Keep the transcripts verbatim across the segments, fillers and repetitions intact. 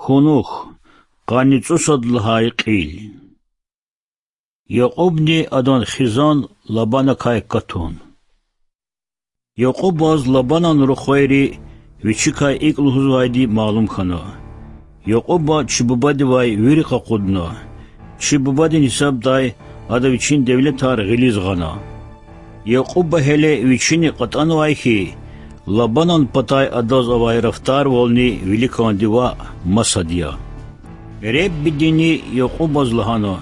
Къунух, къанни цӀусад лагьай кьил. Якьубни адан хизан Лабанакай катун. Якьубаз Лабанан рухвайри вичикай икӀ лугьузвайди малум хьана: Якьуба чи бубадивай вири къакъудна. Чи бубадин гьисабдай ада вичин девлетар гъилиз гъана. Якьуба гьеле вичини кьатӀанвай хьи, Лабанан патай адаз авай рафтарвални виликанди ваъ, масад я. Реббидини Якьубаз лагьана: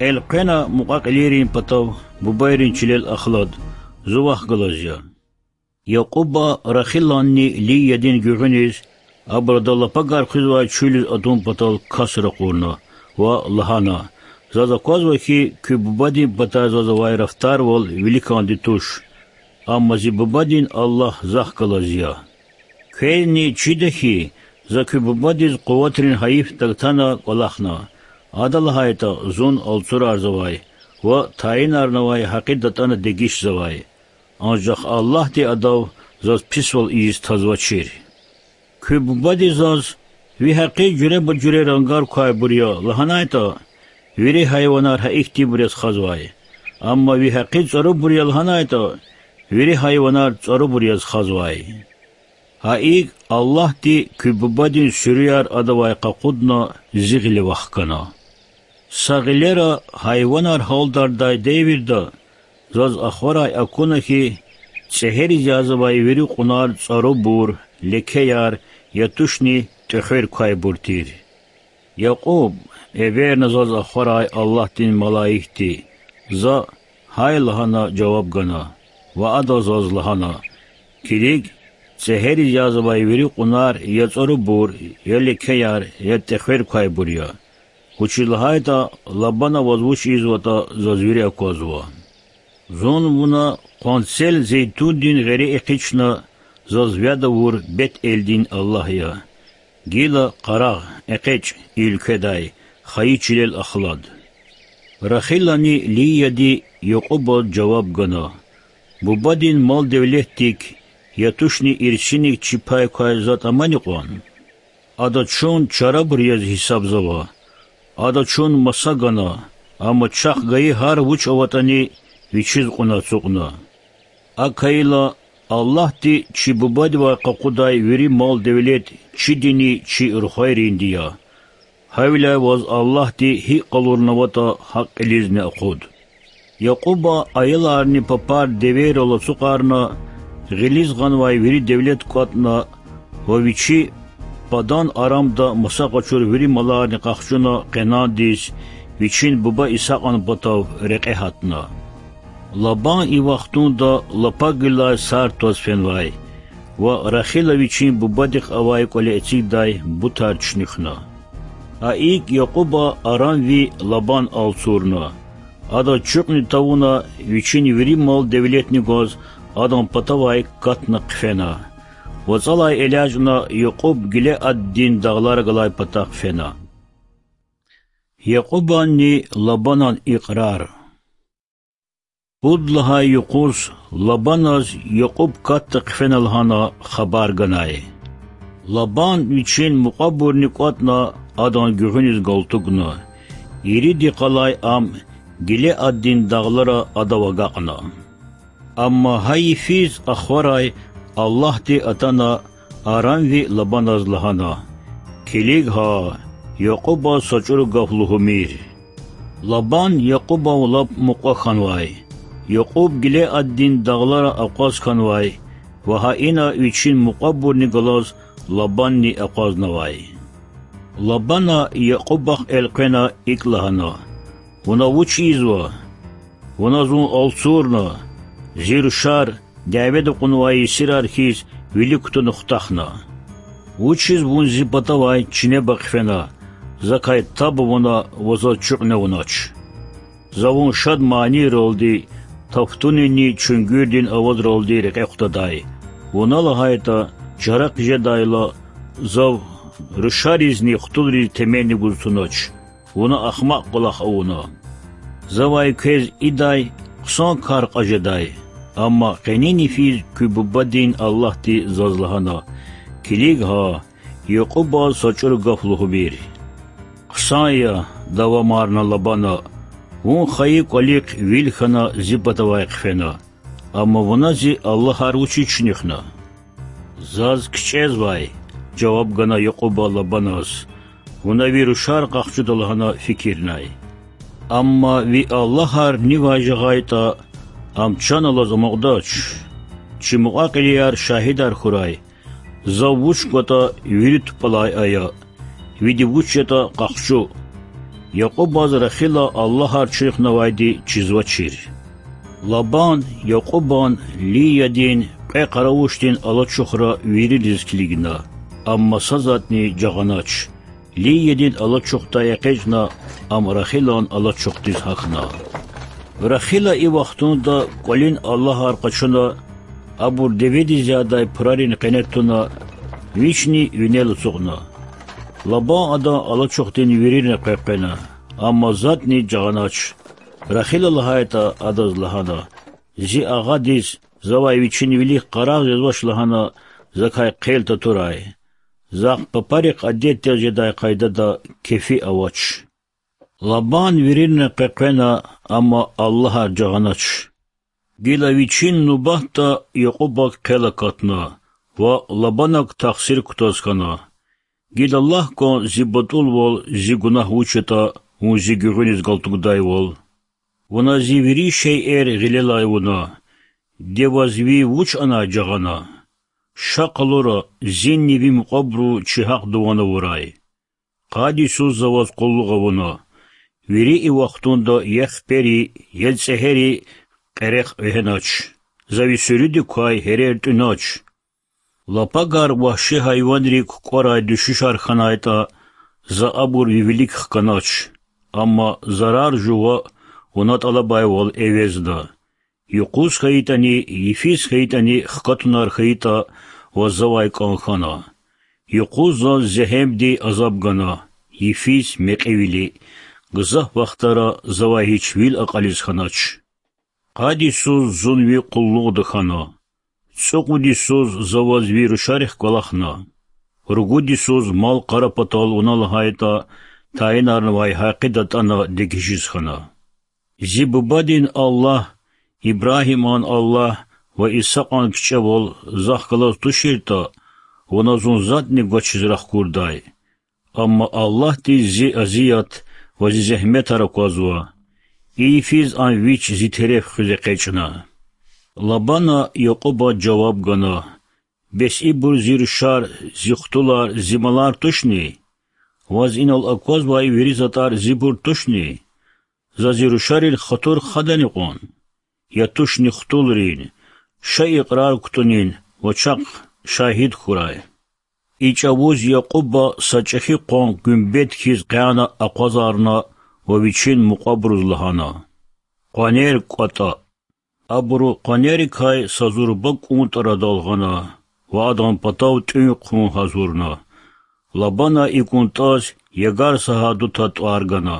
Элкъвена мукьва-кьилийрин патав бубайрин чилел ахлад, зун вахъ галаз я. Якьуба Рахиланни Лиядин гуьгъуьниз, абуру ада лапагар хуьзвай чуьлиз атун патал кас ракъурна ва лагьана: Заз аквазва хьи, куь бубадин патай заз авай рафтарвал виликанди туш, амма зи бубадин Аллагь захъ галаз я. Квезни чида хьи, за куь бубадиз къуватрин гьайиф тагтана кӀвалахна, ада лагьайтӀа, зун алцурарзавай ва тайинарнавай гьакъи датӀана дегишзавай. Анжах Аллагьди адав заз писвал ийиз тазвачир. Куь бубади заз: Ви гьакъи жуьреба-жуьре рангар квайбур я, лагьанайтӀа, вири гьайванар гьа ихьтинбур яз хазвай. Амма ви гьакъи цӀарубур я, лагьанайтӀа, вири гьайванар цӀарубур яз хазвай. Гьа икӀ Аллагьди куь бубадин суьруьяр адавай къакъудна, зи гъиле вахкана. Са гъилера гьайванар гьалдардай девирда заз ахварай акуна хьи, цӀегьериз язавай вири кьунар цӀарубур, лекеяр, я тушни тӀвехвер квайбур тир. Якьуб, эверна заз ахварай Аллагьдин малаикди, за гьай лагьана жаваб гана ва ада заз лагьана: Килиг, цӀегьериз язавай вири кьунар я цӀарубур, я лекеяр, я тӀвехвер квайбур я. Вучиз лагьайтӀа Лабана ваз вуч ийизватӀа заз вири аквазва. Зун вуна къванцел зейтундин гъери экъична, заз вяд авур Бетелдин Аллагь я. Гила къарагъ, экъечӀ и уьлкведай, хайи чилел ахлад. Рахилани Лияди Якьубаз жаваб гана: Бубадин мал-девлетдик, я тушни ирсиник чи пай квай затӀ амани кьван? Ада чун чарабур яз гьисабзава. Ада чун маса гана, амма чахъ гайи гьар вуч аватӀани вичиз кьуна ацукьна. АкӀ хьайила, Аллагьди чи бубадивай къакъудай вири мал-девлет чидини чи рухвайринди я. Гьавиляй ваз Аллагьди гьикӀ къалурнаватӀа гьакӀ кьилизни акъуд. Якьуба аяларни папар девейрал ацукьарна, гъилиз гъанвай вири девлет кӀватӀна ва вичи Падан-Арамда маса къачур вири маларни къахчуна Къенандиз, вичин буба Исакьан патав рекье гьатна. Лабан и вахтунда лапагилай сард тваз фенвай ва Рахила вичин бубадихъ авай кӀвале эцигдай бутар чуьнуьхна. Гьа икӀ Якьуба аранви Лабан алцурна. Ада чуькьни тавуна, вичин вири мал-девлетни гваз адан патавай катна хъфена. ВацӀалай элячӀна Якьуб Гилеаддин дагълара галай патахъ фена. Якьубанни Лабанан икьрар. Пуд лагьай юкъуз Лабаназ Якьуб катда хъфена лагьана хабар ганай. Лабан вичин мукьвабурни кӀватӀна, адан гуьгъуьниз галтугна. Ирид йикъалай ам Гилеаддин дагълара адав агакьна. Амма гьа йифиз ахварай Аллагьди атана аранви Лабаназ лагьана: Килиг гьа, Якьубаз са чӀуру гаф лугьумир. Лабан Якьубав лап мукьва хьанвай. Якьуб Гилеаддин дагълара акъваз хьанвай ва гьа ина вичин мукьвабурни галаз Лабанни акъвазнавай. Лабана Якьубахъ элкъвена икӀ лагьана: Вуна вуч ийизва? Вуна зун алцурна, зи рушар дяведа кьунвай есирар хьиз вилик кутуна хутахна. Вучиз вун зи патавай чинеба хъфена, закай таб авуна ва заз чуькьна авунач? За вун шад манийралди, тафтунинни чуьнгуьрдин авазралди рекье хутадай. Вуна лагьайтӀа, чарахъ жедайла, зав рушаризни хтулриз теменни гуз тунач. Вуна ахмакь кӀвалах авуна. Завай квез идай хъсан кар кьаз жедай. Амма къенин йифиз куь бубадин Аллагьди заз лагьана: Килиг гьа, Якьубаз са чӀуру гаф лугьумир. Хъсан я,— давамарна Лабана,— вун хайи кӀвалихъ вил хьана зи патавай хъфена, амма вуна зи аллагьар вучиз чуьнуьхна? Заз кичӀезвай,— жаваб гана Якьуба Лабаназ,— вуна ви рушар къахчуда лагьана фикирнай. Амма ви аллагьар нивай жагъайтӀа, ам чан алаз амукьдач. Чи мукьва-кьилияр шагьидар хьурай, зав вуч кӀватӀа вири тупӀалай ая, види вуч ятӀа къахчу. Якьубаз Рахила аллагьар чуьнуьхнавайди чизвачир. Лабан Якьубан Лиядин кьве къаравушдин алачухра виририз килигна, амма са затӀни жагъанач. Лиядин алачухдал экъечӀна, ам Рахилан алачухдиз гьахьна. Рахила и вахтунда кӀвалин аллагьар къачуна, абур деведиз ядай пурарин къене туна, вични винел ацукьна. Лабан адан алачухдин вирирни къекъвена, амма затӀни жагъанач. Рахила лагьайтӀа, адаз лагьана: Зи агъадиз завай вичин вилик къарагъ жезвач лагьана закай хъел татурай. Захъ папарихъ адетдиз жедай къайдада кефи авач. Лабан вирирни къекъвена, амма аллагьар жагъанач. Гила вичин нубатда Якьубак хъел акатна ва Лабанак тахсир кутаз хьана: Гила лагь кван зи батӀулвал, зи гунагь вуч ятӀа, вун зи гуьгъуьниз галтугдайвал. Вуна зи вири шейэр гъилелай авуна, де ваз ви вуч анай жагъана? Ша къалура, зинни ви мукьвабуру чи гьахъ дуван авурай. Къад йисуз за ваз къуллугъ авуна. Вири и вахтунда я хипери, я цӀегьери къерехъ вегьенач, за ви суьруьдик квай гьерер тӀуьнач. Лапагар вагьши гьайванри кукӀварай дуьшуьшар хьанайтӀа, за абур ви вилик хканач, амма зарар жува вуна тӀалабайвал эвезда. Юкъуз хьайитӀани, йифиз хьайитӀани хкатунар хьайитӀа, ваз завай кӀан хьана. Юкъуз заз зегьемди азаб гана, йифиз мекьивили, гзаф вахтара завай гьич вил акьализ хьанач. Къад йисуз зун ви къуллугъда хьана. ЦӀукьуд йисуз за ваз ви рушарихъ кӀвалахна. Ругуд йисуз мал-къара патал вуна лагьайтӀа тайинарнавай гьакъи датӀана дегишиз хьана. Зи бубадин Аллагь, Ибрагьиман Аллагь ва Исакьан кичӀевал захъ галаз туширтӀа, вуна зун затӀни гвачиз рахкурдай. Амма Аллагьдиз зи азият ва зи зегьметар аквазва. И йифиз ам вич зи тереф хуьз экъечӀна. Лабана Якьубаз жаваб гана: Бес ибур зи рушар, зи хтулар, зи малар тушни? Ваз инал аквазвай вири затӀар зибур тушни? За зи рушарин хатур хадани кьван? Я тушни хтулрин? Ша икьрар кутунин ва чахъ шагьид хьурай. И чӀавуз Якьуба са чӀехи къван гуьмбет хьиз къяна акъвазарна ва вичин мукьвабуруз лагьана: Къванер кӀватӀа. Абуру къванерикай са зурба кӀунтӀ арадал гъана ва адан патав тӀуьн-хъун гьазурна. Лабана и кӀунтӀаз Ягар са гьаду тӀвар гана,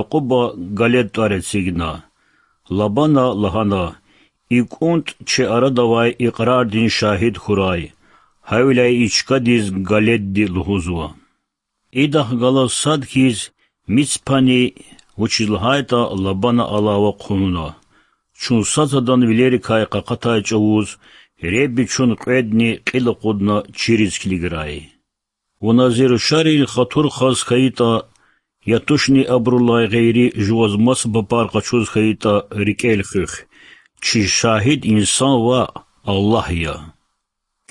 Якьуба Галед тӀвар эцигна. Лабана лагьана: И кӀунтӀ чи арада авай икьрардин шагьид хьурай, гьавиляй и чкадиз Галедди лугьузва. Идахъ галаз сад хьиз Мицпани, вучиз лагьайтӀа Лабана алава хъувуна: Чун сад-садан вилерикай къакъатай чӀавуз Худа чун кьведни кьил акъудна чириз килиграй. Вуна зи рушарин хатур хаз хьайитӀа, я тушни абурулай гъейри жуваз маса папар къачуз хьайитӀа, рикӀел хуьх: чи шагьид инсан ваъ, Аллагь я.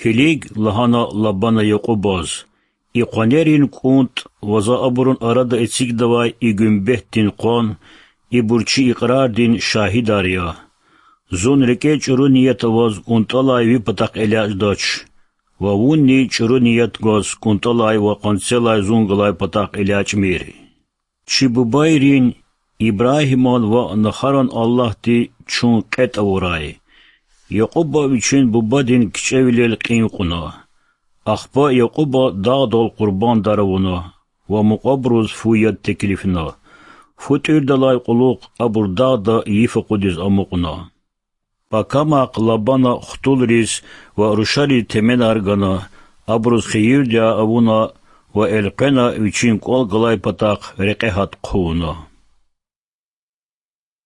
Килиг,— лагьана Лабана Якьубаз,— и къванерин кӀунтӀ ва за абурун арада эцигнавай и гуьмбетдин къван, ибур чи икьрардин шагьидар я. Зун рикӀе чӀуру ният аваз кӀунтӀалай ви патахъ элячӀдач ва вунни чӀуру ният гваз кӀунтӀалай ва къванцелай зун галай патахъ элячӀмир. Чи бубайрин, Ибрагьиман ва Нахаран Аллагьди чун кьетӀ авурай. Якьуба вичин бубадин кичӀевилел кьин кьуна. Ахпа Якьуба дагъдал къурбандар авуна ва мукьвабуруз фу яд теклифна. Фу тӀуьрдалай кьулухъ абур дагъда йиф акъудиз амукьна. Пакамахъ Лабана хтулриз ва рушариз теменар гана, абуруз хийирди авуна ва элкъвена вичин кІвал галай патахъ рекье гьат хъувуна.